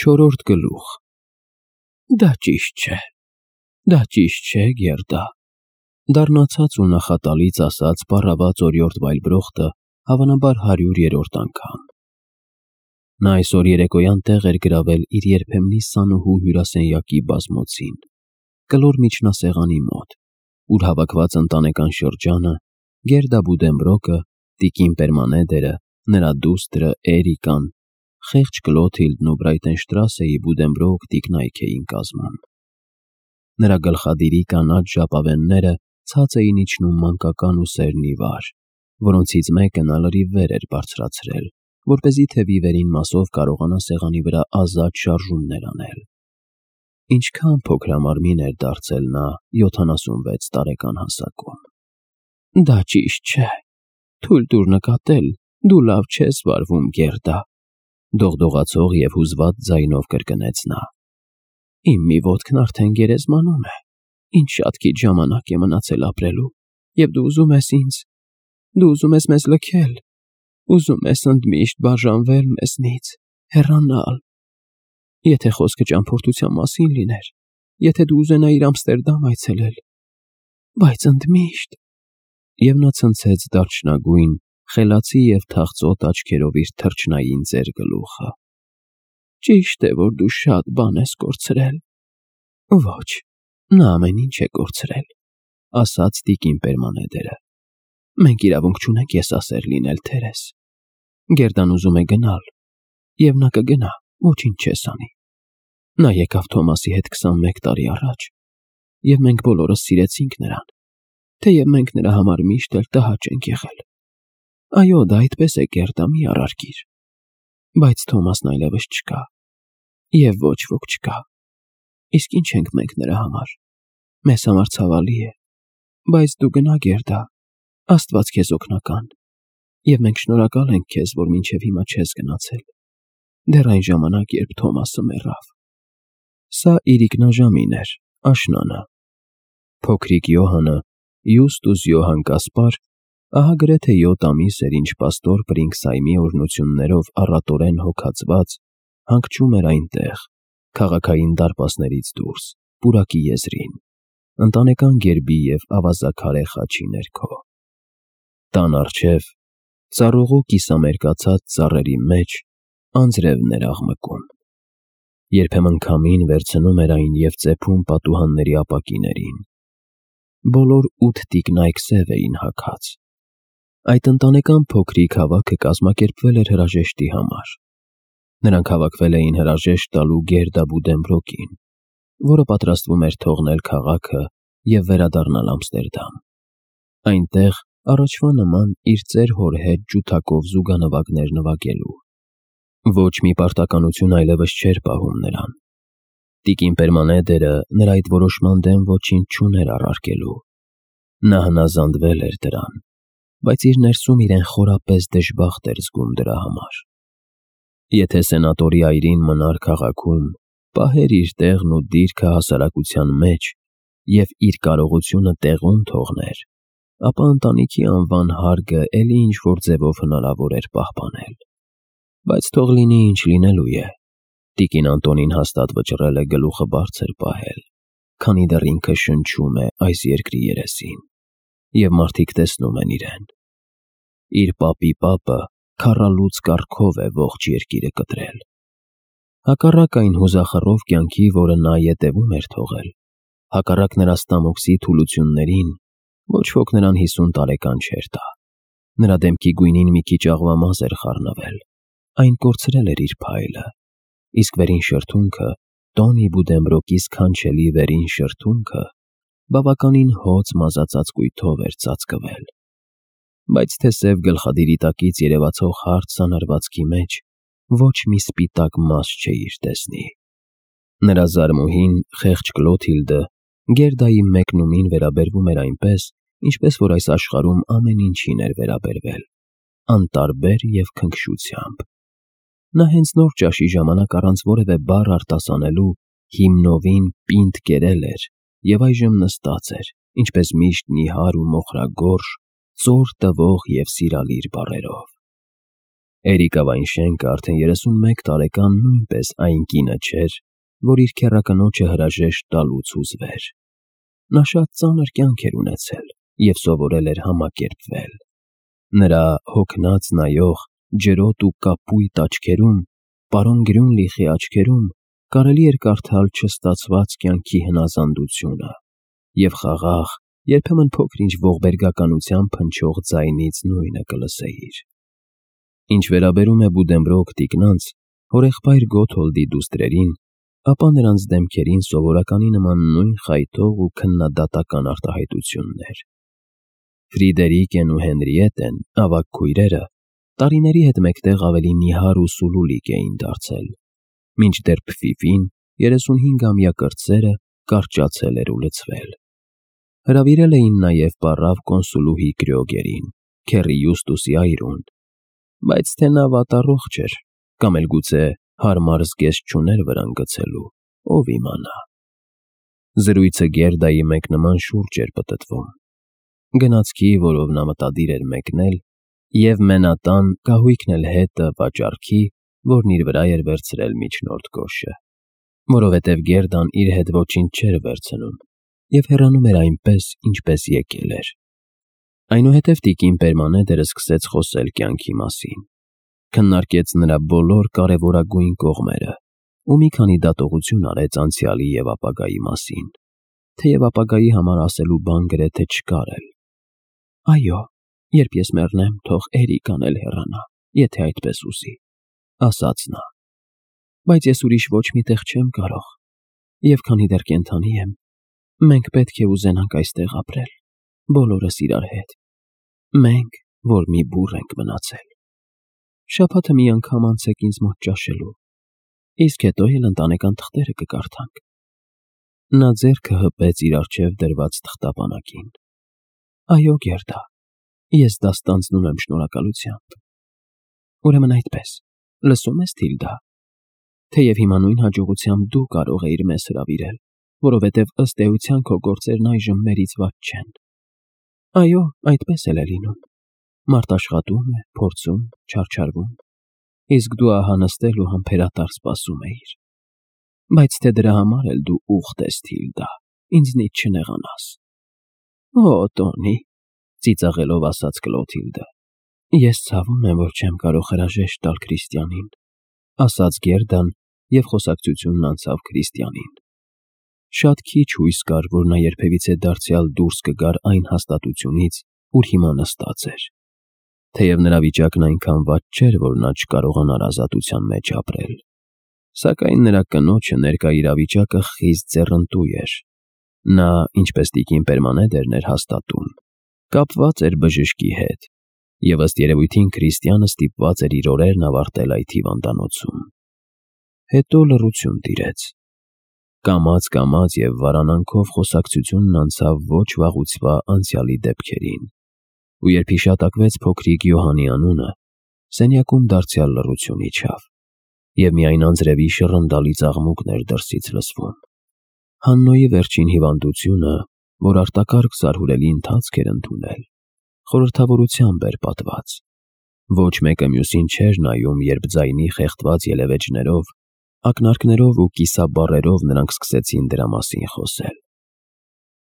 Չորրորդ գլուխ։ Դա ճիշտ չէ, Գերդա, դառնացած ու նախատալից ասաց պառավաց օրիորդ Վայլբրոխտը, հավանաբար 100-րդ անգամ։ Նա այսօր երեկոյան տեղ էր գրավել իր երբեմնի սանուհու հյուրասենյակի բազմոցին, կլոր միջնասեղանի մոտ, ուր հավաքված ընտանեկան շրջանը, Գերդա Բուդենբրոկը, տիկին Պերմանեդերը, նրա դուստրը Էրիկան, խեղճ Կլոթիլդն ու Բրայտենշտրասեի Բուդենբրոկ տիկնայք էին կազմում։ Նրա գլխադիրի կանաչ ժապավենները ցած էին իջնում մանկական ու սերնի վար, որոնցից մեկը նա լրիվ վեր էր բարձրացրել, որպեսզի թևի վերին մասով կարողանա սեղանի վրա ազատ շարժումներ անել։ Ինչքան փոքրամարմին էր դարձել նա 76 տարեկան հասակում։ Դա ճիշտ չէ, թույլ տուր նկատել, դու լավ չես վարվում, Գերդա, դողդողացող և հուզված ձայնով կրկնեց նա։ Իմ մի ոտքն արդեն գերեզմանում է, ինչ շատ քիչ ժամանակ է մնացել ապրելու, և դու ուզում ես մեզ լքել, ուզում ես ընդմիշտ բաժանվել մեզնից, հեռանալ։ Եթե խոսքը ճամփորդության մասին լիներ, եթե դու ուզենայիր Ամստերդամ այցելել, բայց ընդմիշտ… Եվ նա ցնցեց դարչնագույն, խելացի և թախծոտ աչքերով իր թռչնային ծեր գլուխը։ Ճիշտ է, որ դու շատ բան ես կորցրել։ Ոչ, նա ամեն ինչ է կորցրել, ասաց տիկին Պերմանեդերը։ Մենք իրավունք չունենք եսասեր լինել, թերես։ Գերդան ուզում է գնալ, և նա կգնա, ոչինչ չես անի։ Նա եկավ Թոմասի հետ 21 տարի առաջ, և մենք բոլորս սիրեցինք նրան, թեև մենք նրա համար միշտ էլ տհաճ ենք եղել։ Այո, դա այդպես է, Գերդա, մի առարկիր։ Բայց Թոմասն այլևս չկա, և ոչ ոք չկա։ Իսկ ինչ ենք մենք նրա համար։ Մեզ համար ցավալի է, բայց դու գնա, Գերդա, Աստված քեզ օգնական, և մենք շնորհակալ ենք քեզ, որ մինչև հիմա չես գնացել, դեռ այն ժամանակ, երբ Թոմասը մեռավ։ Սա իրիկնաժամին էր, աշնանը։ Փոքրիկ Յոհանը, Յուստուս Յոհան Կասպար, ահա գրեթե 7 ամիս էր, ինչ պաստոր Պրինքսհայմի օրհնություններով առատորեն հոգացված, հանգչում էր այնտեղ, քաղաքային դարպասներից դուրս, պուրակի եզրին, ընտանեկան գերբի և ավազաքարե խաչի ներքո։ Տան առջև, ծառուղու կիսամերկացած ծառերի մեջ, անձրևն էր աղմկում։ Երբեմն քամին վերցնում էր այն և ծեփում պատուհանների ապակիներին։ Բոլոր 8 տիկնայք սև էին հագած։ Այդ ընտանեկան փոքրիկ հավաքը կազմակերպվել էր հրաժեշտի համար։ Նրանք հավաքվել էին հրաժեշտ տալու Գերդա Բուդենբրոկին, որը պատրաստվում էր թողնել քաղաքը և վերադառնալ Ամստերդամ, այնտեղ առաջվա նման իր ծեր հոր հետ ջութակով զուգանվագներ նվագելու։ Ոչ մի պարտականություն այլևս չէր պահում նրան։ Տիկին Պերմանեդերը նրա այդ որոշման դեմ ոչինչ չուներ առարկելու։ Նա հնազանդվել էր դրան, բայց իր ներսում իրեն խորապես դժբախտ էր զգում դրա համար։ Եթե սենատորի այրին մնար քաղաքում, պահեր իր տեղն ու դիրքը հասարակության մեջ և իր կարողությունը տեղում թողներ, ապա ընտանիքի անվան հարգը էլի ինչ-որ ձևով հնարավոր էր պահպանել։ Բայց թող լինի ինչ լինելու է, տիկին Անտոնին հաստատ վճռել է գլուխը բարձր պահել, քանի դեռ ինքը շնչում է այս երկրի երեսին, և մարդիկ տեսնում են իրեն։ Իր պապի պապը քառալուծ կառքով է ողջ երկիրը կտրել։ Հակառակ այն հուզախռով կյանքի, որը նա ետևում էր թողել, հակառակ նրա ստամոքսի թուլություններին, ոչ ոք նրան 50 տարեկան չէր տա։ Նրա դեմքի գույնին մի քիչ աղվամազ էր խառնվել, այն կորցրել էր իր փայլը, իսկ վերին շրթունքը, Տոնի Բուդենբրոկի սքանչելի վերին շրթունքը, բավականին հոծ մազածած կույտով էր ծածկվել։ Բայց թե սև գլխադիրի տակից երևացող հարթ սանրվածքի մեջ ոչ մի սպիտակ մազ չէիր տեսնի։ Նրա զարմուհին, խեղճ Կլոթիլդը, Գերդայի մեկնումին վերաբերվում էր այնպես, ինչպես որ այս աշխարհում ամեն ինչին էր վերաբերվել, անտարբեր և քնքշությամբ։ Նա հենց նոր ճաշի ժամանակ առանց որևէ բառ արտասանելու հիմնովին պինդ կերել էր և այժմ նստած էր, ինչպես միշտ նիհար ու մոխրագորշ, ծոր տվող և սիրալիր բառերով։ Էրիկավային շենքը արդեն 31 տարեկան նույնպես այն կինը չէր, որ իր քեռակնոջը հրաժեշտ տալուց հուզվեր։ Նա շատ ծանր կյանք էր ունեցել և սովորել էր համակերպվել։ Նրա հոգնած նայող, ջրոտ ու կապույտ աչքերում, պարոն Գրյունլիխի աչքերում կարելի էր կարդալ չստացված կյանքի հնազանդությունը և խաղաղ, երբեմն փոքր-ինչ ողբերգականությամբ հնչող ձայնից նույնը կլսեիր։ Ինչ վերաբերում է Բուդենբրոկ տիկնանց, հորեղբայր Գոթոլդի դուստրերին, ապա նրանց դեմքերին սովորականի նման նույն խայթող ու քննադատական արտահայտություններ։ Ֆրիդերիկեն ու Հենրիետեն, ավագ քույրերը, տարիների հետ մեկտեղ ավելի նիհար ու սուլուլիկ էին դարձել, մինչդեռ Փֆիֆին, 35-ամյա կրտսերը, կարճացել էր ու լցվել։ Հրավիրել էին նաև պառավ կոնսուլուհի Կրյոգերին, քեռի Յուստուսի այրուն, բայց թե նա վատառողջ էր, կամ էլ գուցե հարմար զգեստ չուներ վրան գցելու, ով իմանա։ Զրույցը Գերդայի մեկնման շուրջ էր պտտվում։ Գնացքի, որով նա մտադիր էր մեկնել, և մենատան կահույքն էլ հետը վաճառքի, որն իր վրա էր վերցրել միջնորդ Գոշը, որովհետև Գերդան իր հետ ոչինչ չէր վերցնում և հեռանում էր այնպես, ինչպես եկել էր։ Այնուհետև տիկին Պերմանեդերը սկսեց խոսել կյանքի մասին, քննարկեց նրա բոլոր կարևորագույն կողմերը ու մի քանի դատողություն արեց անցյալի և ապագայի մասին, թեև ապագայի համար ասելու բան գրեթե չկար էլ։ «Այո, երբ ես մեռնեմ, թող Էրիկան էլ հեռանա, եթե այդպես ուզի», ասաց նա։ «Բայց ես ուրիշ ոչ մի տեղ չեմ կարող, և քանի դեռ կենդանի եմ, մենք պետք է ուզենանք այստեղ ապրել, բոլորս իրար հետ, մենք, որ մի բուռ ենք մնացել։ Շաբաթը մի անգամ անցեք ինձ մոտ ճաշելու, իսկ հետո էլ ընտանեկան թղթերը կկարդանք»։ Նա ձեռքը հպեց իր առջև դրված թղթապանակին։ «Այո, Գերդա, ես դա ստանձնում եմ շնորհակալությամբ»։ «Ուրեմն այդպես, լսո՞ւմ ես, Թիլդա, թեև հիմա նույն հաջողությամբ դու կարող էիր մեզ հրավիրել, որովհետև ըստ էության քո գործերն այժմ մերից վատ չեն»։ «Այո, այդպես էլ է լինում։ Մարդ աշխատում է, փորձում, չարչարվում, իսկ դու ահա նստել ու համբերատար սպասում էիր։ Բայց թե դրա համար էլ դու ուխտ ես, Թիլդա, ինձնից չնեղանաս»։ «Օ, Տոնի», ծիծաղելով ասաց Կլոթիլդը, «ես ցավում եմ, որ չեմ կարող հրաժեշտ տալ Քրիստիանին», ասաց Գերդան և խոսակցությունն անցավ Քրիստիանին։ Շատ քիչ հույս կար, որ նա երբևիցե դարձյալ դուրս կգար այն հաստատությունից, ուր հիմա նստած էր, թեև նրա վիճակն այնքան վատ չէր, որ նա չկարողանար ազատության մեջ ապրել, սակայն նրա կնոջը ներկա իրավիճակը խիստ ձեռնտու էր։ Նա, ինչպես տիկին Պերմանեդերն էր հաստատում, կապված էր բժշկի հետ, և ըստ երևույթին Քրիստիանը ստիպված էր իր օրերն ավարտել այդ հիվանդանոցում։ Հետո լռություն տիրեց։ Կամաց և վարանանքով խոսակցությունն անցավ ոչ վաղուցվա անցյալի դեպքերին, ու երբ հիշատակվեց փոքրիկ Յոհանի անունը, սենյակում դարձյալ լռություն իջավ, և միայն անձրևի շռնդալի ծաղմուկն էր դրսից լսվում։ Հաննոյի վերջին հիվանդությունը, որ արտակարգ զարհուրելի ընթացք էր ընդունել, խորհրդավորությամբ էր պատված։ Ոչ մեկը մյուսին չէր նայում, երբ ձայնի խեղդված ելևէջներով, ակնարկներով ու կիսաբառերով նրանք սկսեցին դրա մասին խոսել։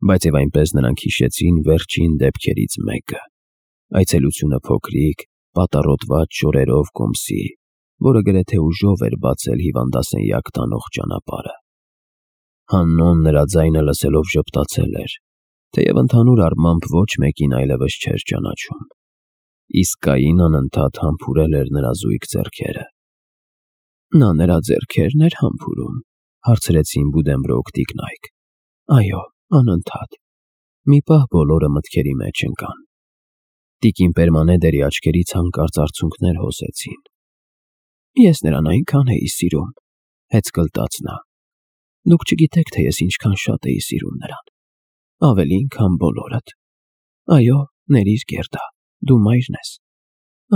Բայց և այնպես նրանք հիշեցին վերջին դեպքերից մեկը, այցելությունը փոքրիկ, պատառոտված շորերով կոմսի, որը գրեթե ուժով էր բացել հիվանդասենյակ տանող ճանապարհը։ Հաննոն նրա ձայնը լսելով ժպտացել էր, թեև ընդհանուր առմամբ ոչ մեկին այլևս չէր ճանաչում, իսկ Կային անընդհատ համբուրել էր նրա զույգ ձեռքերը։ «Նա նրա ձեռքերն էր համբուրում», հարցրեցին Բուդենբրոկ տիկնայք։ «Այո, անընդհատ»։ Մի պահ բոլորը մտքերի մեջ ընկան։ Տիկին Պերմանեդերի աչքերից հանկարծ արցունքներ հոսեցին։ «Ես նրան այնքան էի սիրում», հեծկլտաց նա։ «Դուք չգիտեք, թե ես ինչքան շատ էի սիրում նրան, ավելին, քան բոլորդ։ Այո, ներիր, Գերդա, դու մայրն ես։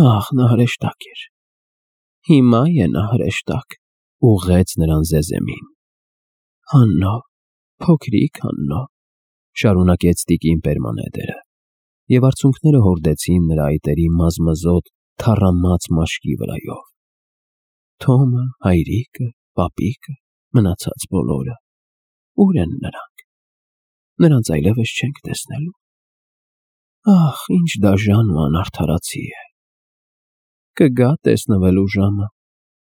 Ահ, նա հրեշտակ էր։ Հիմա է նա հրեշտակ», ուղղեց նրան զեզեմին։ «Հաննո, փոքրիկ Հաննո», շարունակեց տիկին Պերմանեդերը, և արցունքները հորդեցին նրա այտերի մազմզոտ, թառամած մաշկի վրայով։ Թոմը, հայրիկը, պապիկը, մնացած բոլորը, ուր են նրանք։ Նրանց այլևս չենք տեսնելու։ Ախ, ինչ դաժան ու անարդարացի է։ Կգա տեսնվելու ժամը,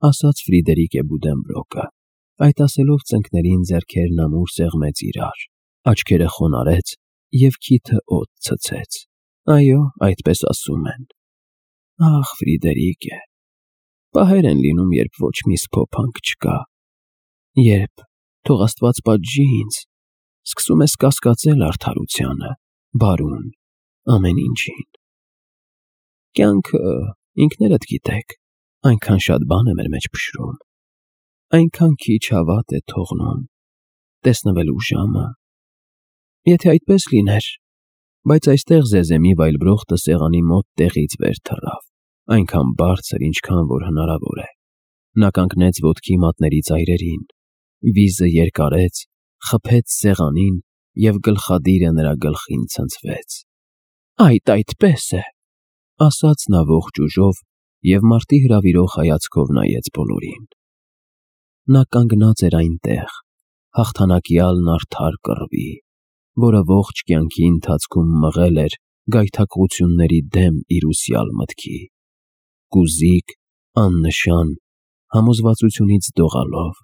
ասաց Ֆրիդերիկե Բուդենբրոկը։ Այդ ասելով ծնկներին ձեռքերն ամուր սեղմեց իրար, աչքերը խոնարհեց և քիթը օդ ցցեց։ Այո, այդպես ասում են։ Ախ, Ֆրիդերիկե, պահեր են լինում, երբ ոչ մի սփոփանք չկա, երբ, թող Աստված պատժի ինձ, սկսում ես կասկածել արդարությանը, բարուն, ամեն ինչին։ Կյանքը, ինքներդ գիտեք, այնքան շատ բան է մեր մեջ փշրում, այնքան քիչ հավատ է թողնում, տեսնվելու ժամը։ Եթե այդպես լիներ, բայց այստեղ Զեզեմի վայելբրոխտը սեղանի մոտ տեղից վեր թռավ, այնքան բարձր, ինչքան որ հնարավոր է։ Նա կանգնեց ոտքի մատների ծայրերին, վիզը երկարեց, խփեց սեղանին և գլխադիրը նրա գլխին ցնցվեց։ Այդպես է, ասաց նա ողջ ուժով և մարտի հրավիրող հայացքով նայեց բոլորին։ Նա կանգնած էր այնտեղ, հաղթանակյալ արդար կռվի, որը ողջ կյանքի ընթացքում մղել էր գայթակղությունների դեմ իր ուսյալ մտքի, կուզիկ, աննշան, համոզվածությունից դողալով,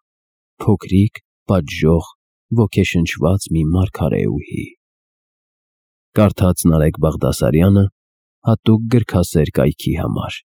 փոքրիկ, պատժող, ոգեշնչված մի մարգարեուհի։ Կարդաց Նարեկ Բաղդասարյանը հատուկ գրքասեր կայքի համար։